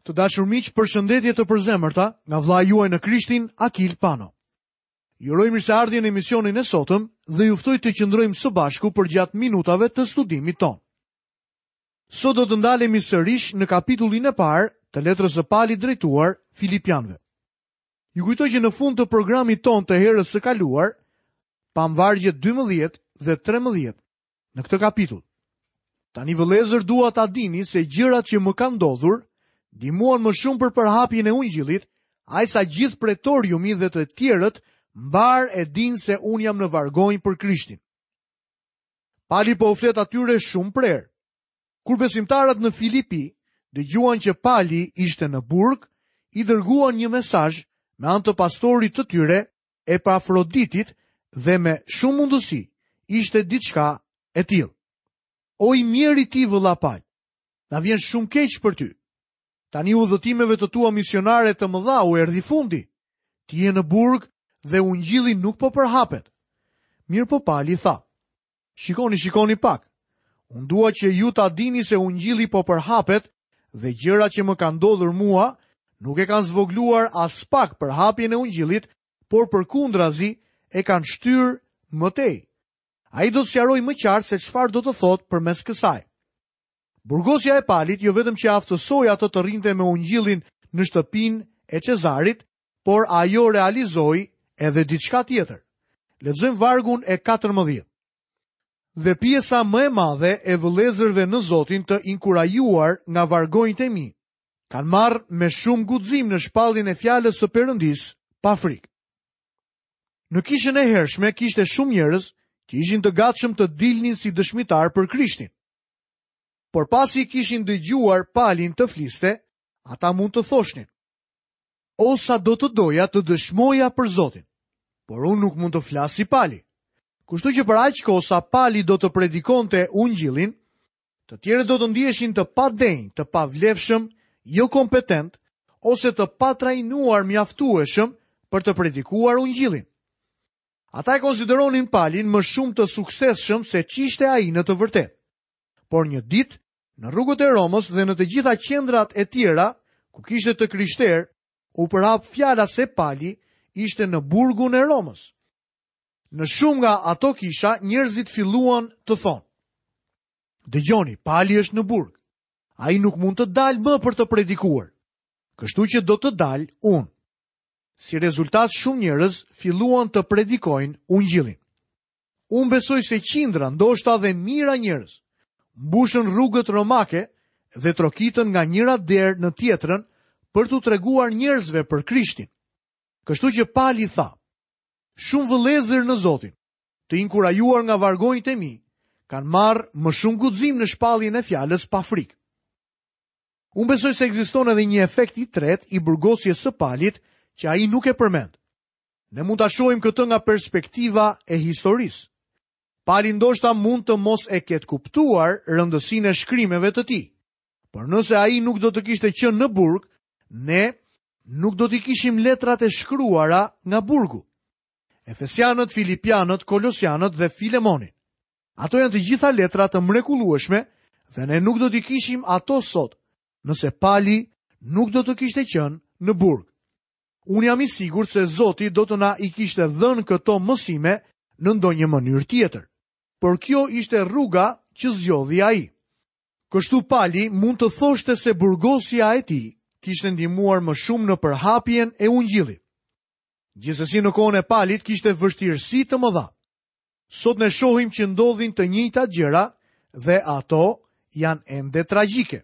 Të dashur miq, përshëndetje të përzemërta nga vëllai juaj në Krishtin, Akil Pano. Ju uroj mirëseardhje në emisionin e sotëm dhe ju ftoj të qëndrojmë së bashku përgjatë minutave të studimit tonë. Sot do të ndalemi sërish në kapitullin e parë të letrës së Palit drejtuar Filipianëve. Ju kujtoj që në fund të programit tonë të herës së kaluar, pamë vargjet 12 dhe 13 në këtë kapitull. Tani vëllezër dua ta dini se gjërat që më kanë ndodhur ndihmuan më shumë për përhapjen e ungjillit, aq sa gjithë pretoriumi dhe të tjerët mbarë e dinë se unë jam në vargonj për Krishtin. Pali po u flet atyre shumë prerë. Kur besimtarët në Filipi dëgjuan që Pali ishte në burg, i dërguan një mesazh me anë të pastorit të tyre Epafroditit dhe me shumë mundësi ishte diçka e tillë. O i mjeri ti vëlla Pal, na vjen shumë keq për ty. Tani udhëtimeve të tua misionare të mëdha u erdhi fundi. Ti je në burg dhe ungjilli nuk po përhapet. Mirëpo Pali tha, shikoni, shikoni pak. Unë dua që ju ta dini se ungjilli po përhapet dhe gjërat që më kanë ndodhur mua nuk e kanë zvogëluar aspak përhapjen e ungjillit, por përkundrazi e kanë shtyrë më tej. Ai do të sqarojë më qartë se çfarë do të thotë përmes kësaj. Burgosja e Palit jo vetëm që e aftësoi atë të rrinte me ungjillin në shtëpinë e Cezarit, por ajo realizoi edhe diçka tjetër. Lexojmë vargun e 14. Dhe pjesa më e madhe e vëllezërve në Zotin të inkurajuar nga vargonjtë e mi, kanë marrë me shumë guxim në shpalljen e fjalës së Perëndisë pa frikë. Në kishën e hershme kishte shumë njerëz që ishin të gatshëm të dilnin si dëshmitarë për Krishtin. Por pasi kishin dëgjuar Palin të fliste, ata mund të thoshnin: O sa do të doja të dëshmoja për Zotin, por unë nuk mund të flas si Pali. Kështu që për aq kohë sa Pali do të predikonte ungjillin, të tjerët do të ndiheshin të padenjë, të pavlefshëm, jokompetentë ose të patrajnuar mjaftueshëm për të predikuar ungjillin. Ata e konsideronin Palin më shumë të suksesshëm se ç'ishte ai në të vërtetë. Por një ditë, në rrugët e Romës dhe në të gjitha qendrat e tjera, ku kishte të krishterë, u përhap fjala se Pali ishte në burgun e Romës. Në shumë nga ato kisha, njerëzit filluan të thonë: Dëgjoni, Pali është në burg. Ai nuk mund të dalë më për të predikuar. Kështu që do të dal unë. Si rezultat shumë njerëz filluan të predikojnë ungjillin. Unë besoj se qindra, ndoshta dhe mijëra njerëz, mbushën rrugët romake dhe trokitën nga njëra derë në tjetrën për t'u treguar njerëzve për Krishtin. Kështu që Pali tha, shumë vëllezër në Zotin, të inkurajuar nga vargonjtë e mi, kanë marrë më shumë guxim në shpalljen e fjalës pa frikë. Unë besoj se ekziston edhe një efekt i tretë i burgosjes së Palit që ai nuk e përmend. Ne mund ta shohim këtë nga perspektiva e historisë. Pali ndoshta mund të mos e ketë kuptuar rëndësinë e shkrimeve të tij. Por nëse ai nuk do të kishte qenë në burg, ne nuk do t'i kishim letrat e shkruara nga burgu. Efesianët, Filipianët, Kolosianët dhe Filemonin. Ato janë të gjitha letra të mrekullueshme dhe ne nuk do t'i kishim ato sot, nëse Pali nuk do të kishte qenë në burg. Unë jam i sigurt se Zoti do të na i kishte dhënë këto mësime në ndonjë mënyrë tjetër. Por kjo ishte rruga që zgjodhi ai. Kështu Pali mund të thoshte se burgosja e tij kishte ndihmuar më shumë në përhapjen e ungjillit. Gjithsesi në kohën e Palit kishte vështirësi të mëdha. Sot ne shohim që ndodhin të njëjtat gjëra dhe ato janë ende tragjike.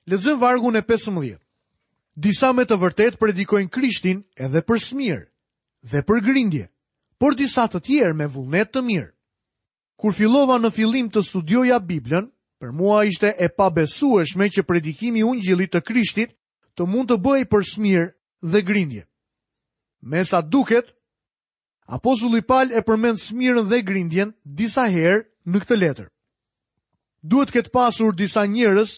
Lexojmë vargun e 15. Disa me të vërtetë predikojnë Krishtin edhe për smirë dhe për grindje, por disa të tjerë me vullnet të mirë. Kur fillova në fillim të studioja Biblën, për mua ishte e pabesueshme që predikimi i ungjillit të Krishtit të mund të bëhej për smirë dhe grindje. Me sa duket, Apostulli Pal e përmend smirën dhe grindjen disa herë në këtë letër. Duhet të ketë pasur disa njerëz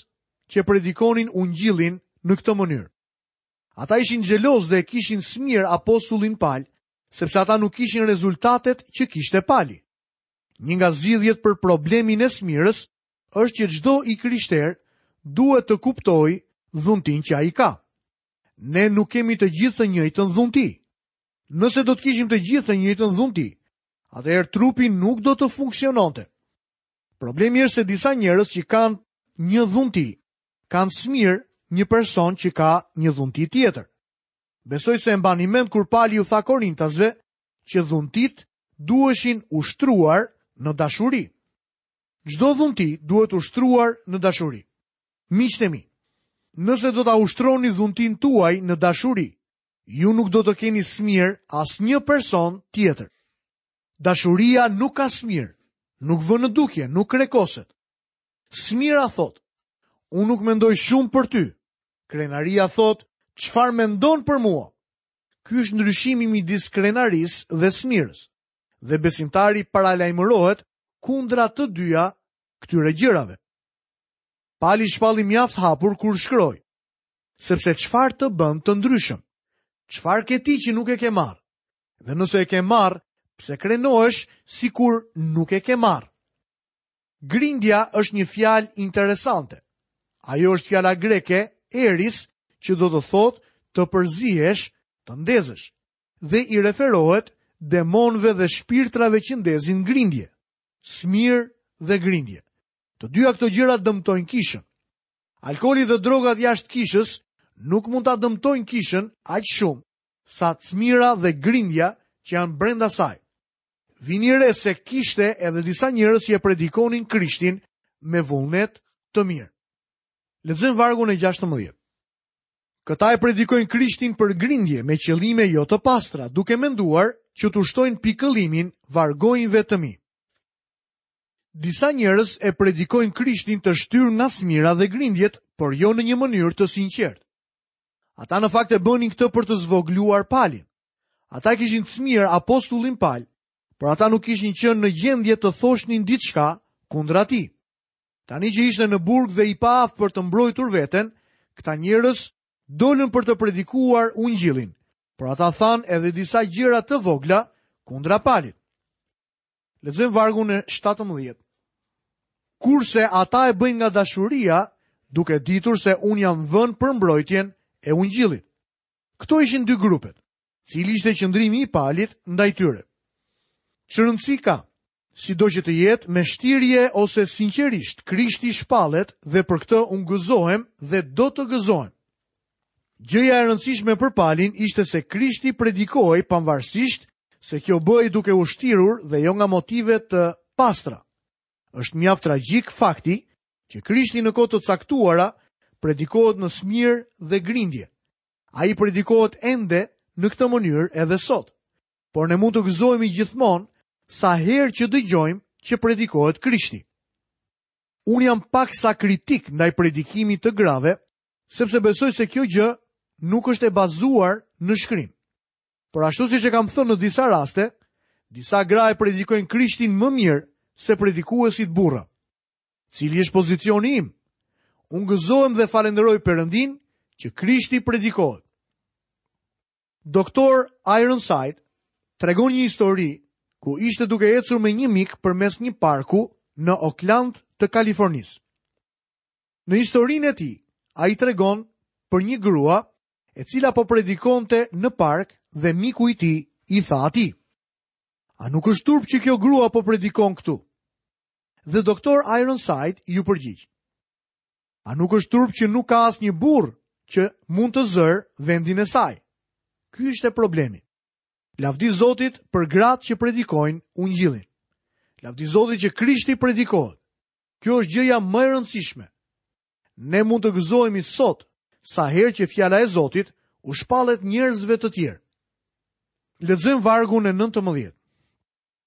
që predikonin ungjillin në këtë mënyrë. Ata ishin xhelozë dhe e kishin smirë apostullin Pal, sepse ata nuk kishin rezultatet që kishte Pali. Një nga zgjidhjet për problemin e smirës është që çdo i krishterë duhet të kuptojë dhuntinë që ai ka. Ne nuk kemi të gjithë të njëjtën dhunti. Nëse do të kishim të gjithë të njëjtën dhunti, atëherë trupi nuk do të funksiononte. Problemi është se disa njerëz që kanë një dhunti, kanë smirë një person që ka një dhunti tjetër. Besoj se e mbani mend kur Pali u tha Korintasve që dhuntitë duheshin ushtruar në dashuri. Çdo dhunti duhet ushtruar në dashuri. Miqtë e mi, nëse do ta ushtroni dhuntinë tuaj në dashuri, ju nuk do të keni smirë asnjë person tjetër. Dashuria nuk ka smirë, nuk vë në dukje, nuk krekoset. Smira thotë, unë nuk mendoj shumë për ty. Krenaria thotë, çfarë mendon për mua? Ky është ndryshimi midis krenarisë dhe smirës. Dhe besimtari paralajmërohet kundra të dyja këtyre gjërave. Pali shpalli mjaft hapur kur shkroi, sepse çfarë të bën të ndryshëm? Çfarë ke ti që nuk e ke marrë? Dhe nëse e ke marrë, pse krenohesh sikur nuk e ke marrë? Grindja është një fjalë interesante. Ajo është fjala greke eris, që do të thotë të përzihesh, të ndezësh dhe i referohet demonëve dhe shpirtrave që ndezin grindje, smirë dhe grindje. Të dyja këto gjëra dëmtojnë kishën. Alkooli dhe drogat jashtë kishës nuk mund ta dëmtojnë kishën aq shumë sa smira dhe grindja që janë brenda saj. Vini re se kishte edhe disa njerëz që e predikonin Krishtin me vullnet të mirë. Lexojmë vargun e 16. Këta e predikojnë Krishtin për grindje me qëllime jo të pastra, duke menduar që t'u shtojnë pikëllimin vargonjve të mi. Disa njerëz e predikojnë Krishtin të shtyrë nga smira dhe grindjet, por jo në një mënyrë të sinqertë. Ata në fakt e bënin këtë për të zvogëluar Palin. Ata kishin smirë apostullin Pal, por ata nuk kishin qenë në gjendje të thoshnin diçka kundra tij. Tani që ishte në burg dhe i paaftë për të mbrojtur veten, këta njerëz dolën për të predikuar ungjillin, por ata thanë edhe disa gjëra të vogla kundra Palit. Lexojmë vargun e 17. Kurse ata e bëjnë nga dashuria, duke ditur se unë jam vënë për mbrojtjen e ungjillit. Këto ishin dy grupet. Cili ishte qëndrimi i Palit ndaj tyre? Ç'rëndësi ka? Sido që të jetë, me shtirje ose sinqerisht, Krishti shpallet dhe për këtë unë gëzohem dhe do të gëzohem. Gjëja e rëndësishme për Palin ishte se Krishti predikohej pavarësisht se kjo bëhej duke u shtirur dhe jo nga motive të pastra. Është mjaft tragjik fakti që Krishti në kohë të caktuara predikohet në smirë dhe grindje. Ai predikohet ende në këtë mënyrë edhe sot. Por ne mund të gëzohemi gjithmonë sa herë që dëgjojmë që predikohet Krishti. Unë jam paksa kritik ndaj predikimit të grave, sepse besoj se kjo gjë nuk është e bazuar në shkrim. Por ashtu siç e kam thënë në disa raste, disa gra e predikojnë Krishtin më mirë se predikuesit burra. Cili është pozicioni im? Unë gëzohem dhe falënderoj Perëndinë që Krishti predikohet. Doktor Ironside tregon një histori ku ishte duke ecur me një mik përmes një parku në Oakland të Kalifornisë. Në historinë e tij, ai tregon për një grua e cila po predikonte në park dhe miku i tij i tha atij: A nuk është turp që kjo grua po predikon këtu? Dhe doktor Ironside iu përgjigj: A nuk është turp që nuk ka asnjë burrë që mund të zërë vendin e saj? Ky ishte problemi. Lavdi Zotit për gratë që predikojnë ungjillin. Lavdi Zotit që Krishti predikohet. Kjo është gjëja më e rëndësishme. Ne mund të gëzohemi sot sa herë që fjala e Zotit u shpallet njerëzve të tjerë. Lexojmë vargun e 19.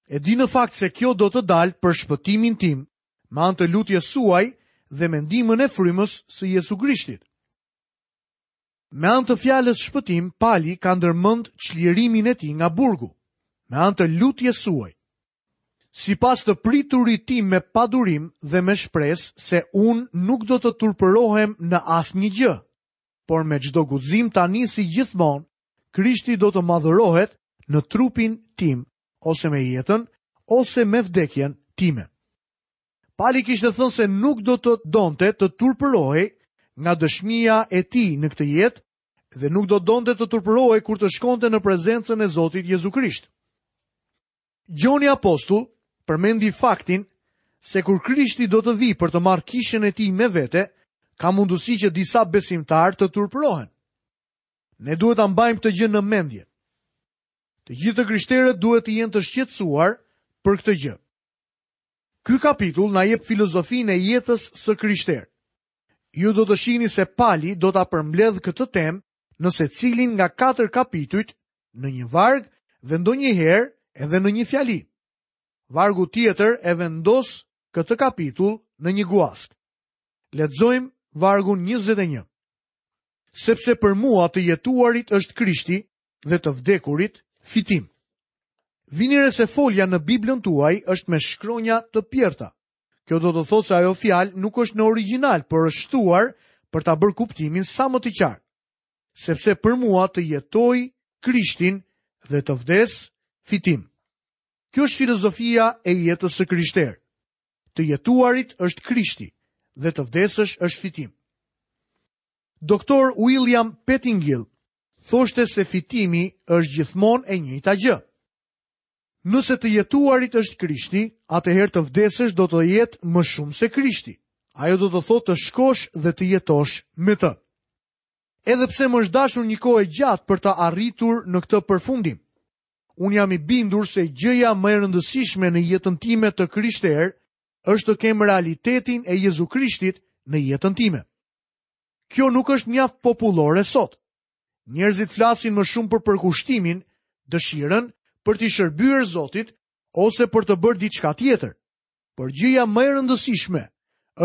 E di në fakt se kjo do të dalë për shpëtimin tim, me anë të lutjes suaj dhe me ndihmën e frymës së Jezu Krishtit. Me anë të fjalës shpëtim, Pali ka ndërmend çlirimin e tij nga burgu, me anë të lutjes suaj. Sipas të priturit tim me padurim dhe me shpresë se unë nuk do të turpërohem në asnjë gjë, por me çdo guxim tani si gjithmonë, Krishti do të madhërohet në trupin tim ose me jetën ose me vdekjen time. Pali kishte thënë se nuk do të donte të turpërohej nga dëshmia e tij në këtë jetë dhe nuk do donte të turpërohej kur të shkonte në prezencën e Zotit Jezu Krisht. Gjoni Apostull përmendi faktin se kur Krishti do të vijë për të marrë kishën e tij me vete, ka mundësi që disa besimtarë të turpërohen. Ne duhet ta mbajmë këtë gjë në mendje. Të gjithë të krishterët duhet të jenë të shqetësuar për këtë gjë. Ky kapitull na jep filozofinë e jetës së krishterë. Ju do të shihni se Pali do ta përmbledhë këtë temë në secilin nga katër kapitujt në një varg dhe ndonjëherë edhe në një fjali. Vargu tjetër e vendos këtë kapitull në një guaskë. Lexojmë vargun 21. Sepse për mua të jetuarit është Krishti dhe të vdekurit fitim. Vini re se folja në Biblën tuaj është me shkronja të pjerrta. Kjo do të thotë se ajo fjalë nuk është në origjinal, por është shtuar për ta bërë kuptimin sa më të qartë. Sepse për mua të jetoj Krishtin dhe të vdes fitim. Kjo është filozofia e jetës së krishterë. Të jetuarit është Krishti dhe të vdesësh është fitim. Doktor William Pettingill thoshte se fitimi është gjithmonë e njëjta gjë. Nëse të jetuarit është Krishti, atëherë të vdesësh do të jetë më shumë se Krishti. Ajo do të thotë të shkosh dhe të jetosh me të. Edhe pse më është dashur një kohë e gjatë për të arritur në këtë përfundim. Unë jam i bindur se gjëja më e rëndësishme në jetën time të krishterë është të kem realitetin e Jezu Krishtit në jetën time. Kjo nuk është mjaft popullore sot. Njerëzit flasin më shumë për përkushtimin, dëshirën për t'i shërbyer Zotit ose për të bërë diçka tjetër. Por gjëja më e rëndësishme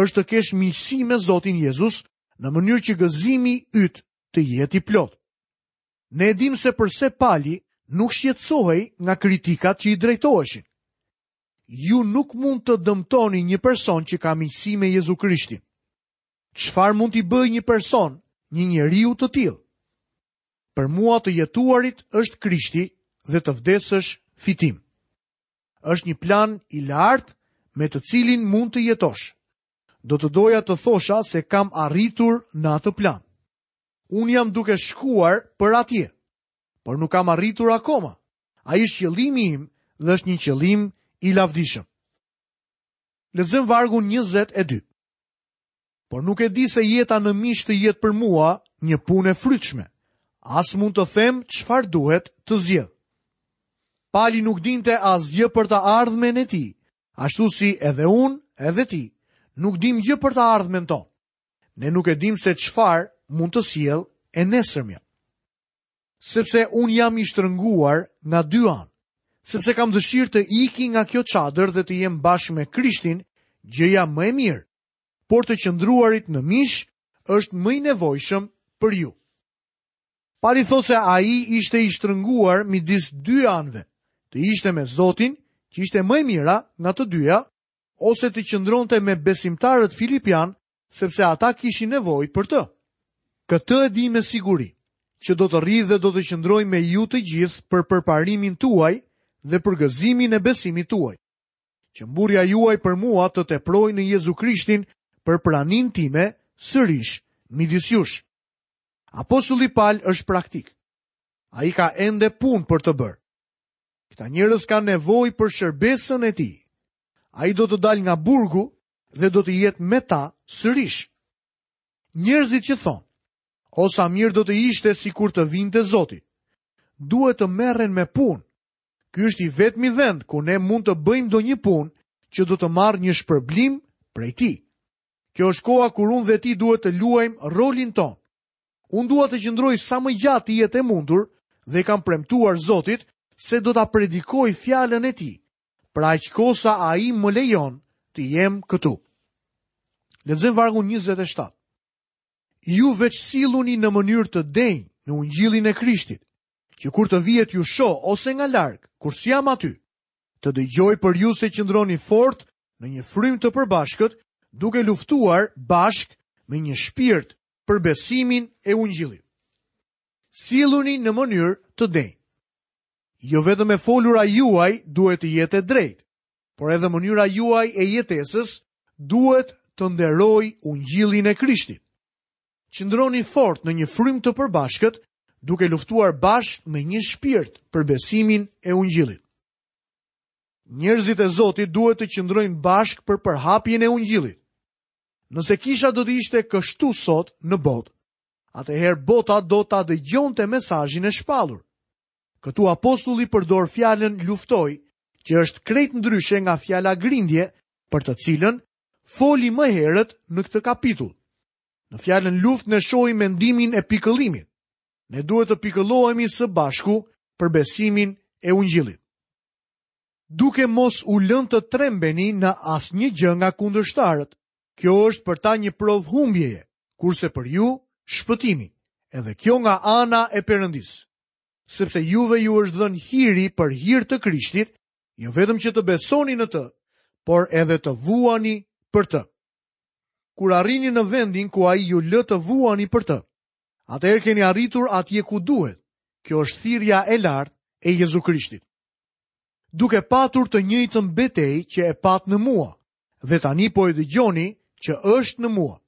është të kesh miqësi me Zotin Jezus në mënyrë që gëzimi yt të jetë i plotë. Ne e dimë se përse Pali nuk shqetësohej nga kritikat që i drejtoheshin. Ju nuk mund të dëmtoni një person që ka miqësi me Jezu Krishtin. Çfarë mund t'i bëjë një person një njeriu të tillë? Për mua të jetuarit është Krishti dhe të vdesësh fitim. Është një plan i lartë me të cilin mund të jetosh. Do të doja të thosha se kam arritur në atë plan. Unë jam duke shkuar për atje, por nuk kam arritur akoma. Ai është qëllimi im dhe është një qëllim i lavdishëm. Lexojmë vargun 22. Por nuk e di se jeta në mish të jetë për mua një punë e frytshme. As mund të them çfarë duhet të zgjedh. Pali nuk dinte asgjë për të ardhmen e tij, ashtu si edhe unë, edhe ti, nuk dimë gjë për të ardhmen tonë. Ne nuk e dimë se çfarë mund të sjellë e nesërmja. Sepse unë jam i shtrënguar nga dy anë, sepse kam dëshirë të iki nga kjo çadër dhe të jem bashkë me Krishtin, gjëja më e mirë, por të qëndruarit në mish është më i nevojshëm për ju. Pali thotë se ai ishte i shtrënguar midis dy anëve, të ishte me Zotin, që ishte më e mira nga të dyja, ose të qëndronte me besimtarët filipianë, sepse ata kishin nevojë për të. Këtë e di me siguri, që do të rri dhe do të qëndroj me ju të gjithë për përparimin tuaj dhe për gëzimin e besimit tuaj. Që mburrja juaj për mua të teprojë në Jezu Krishtin për praninë time sërish midis jush. Apostulli Pal është praktik. Ai ka ende punë për të bërë. Këta njerëz kanë nevojë për shërbesën e tij. Ai do të dalë nga burgu dhe do të jetë me ta sërish. Njerëzit që thonë, o sa mirë do të ishte sikur të vinte Zoti. Duhet të merren me punë. Ky është i vetmi vend ku ne mund të bëjmë ndonjë punë që do të marrë një shpërblim prej tij. Kjo është koha kur unë dhe ti duhet të luajmë rolin tonë. Unë dua të qëndroj sa më gjatë të jetë e mundur dhe i kam premtuar Zotit se do ta predikoj fjalën e tij, për aq kohë sa ai më lejon të jem këtu. Lexojmë vargun 27. Ju veç silluni në mënyrë të denjë në ungjillin e Krishtit, që kur të vij e t'ju shoh ose nga larg, kur s'jam aty, të dëgjoj për ju se qëndroni fort në një frymë të përbashkët, duke luftuar bashkë me një shpirt për besimin e ungjillit. Silluni në mënyrë të denjë. Jo vetëm e folura juaj duhet të jetë e drejtë, por edhe mënyra juaj e jetesës duhet të nderojë ungjillin e Krishtit. Qëndroni fort në një frymë të përbashkët, duke luftuar bashkë me një shpirt për besimin e ungjillit. Njerëzit e Zotit duhet të qëndrojnë bashkë për përhapjen e ungjillit. Nëse kisha do të ishte kështu sot në botë, atëherë bota do ta dëgjonte mesazhin e shpallur. Këtu apostulli përdor fjalën luftoj, që është krejt ndryshe nga fjala grindje, për të cilën foli më herët në këtë kapitull. Në fjalën luftë ne shohim mendimin e pikëllimit. Ne duhet të pikëllohemi së bashku për besimin e ungjillit. Duke mos u lënë të trembeni në asnjë gjë nga kundërshtarët. Kjo është për ta një provë humbjeje, kurse për ju shpëtimi, edhe kjo nga ana e Perëndisë. Sepse juve ju është dhënë hiri për hir të Krishtit, jo vetëm që të besoni në të, por edhe të vuani për të. Kur arrini në vendin ku ai ju lë të vuani për të, atëherë keni arritur atje ku duhet. Kjo është thirrja e lartë e Jezu Krishtit. Duke patur të njëjtën betejë që e patë në mua, dhe tani po e dëgjoni që është në mua.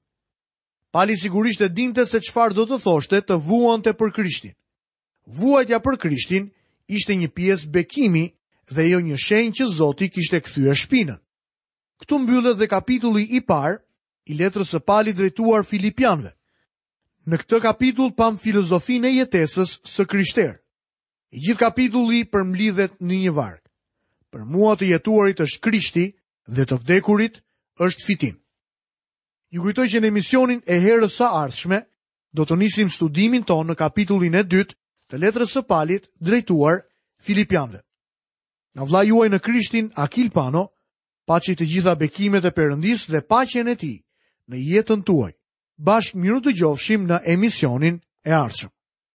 Pali sigurisht e dinte se çfarë do të thoshte të vuante për Krishtin. Vuajtja për Krishtin ishte një pjesë bekimi dhe jo një shenjë që Zoti kishte kthyer shpinën. Këtu mbyllet dhe kapitulli i parë i letrës së Palit drejtuar Filipianëve. Në këtë kapitull pamë filozofinë e jetesës së krishterë. I gjithë kapitulli përmblidhet në një varg. Për mua të jetuarit është Krishti dhe të vdekurit është fitim. Ju kujtoj që në emisionin e herës së ardhshme do të nisim studimin tonë në kapitullin e dytë të letrës së Palit drejtuar Filipianëve. Nga vëllai juaj në Krishtin Akil Pano, paçi të gjitha bekimet e Perëndisë dhe paqen e tij në jetën tuaj. Bashkë mirudëgjofshim në emisionin e ardhshëm.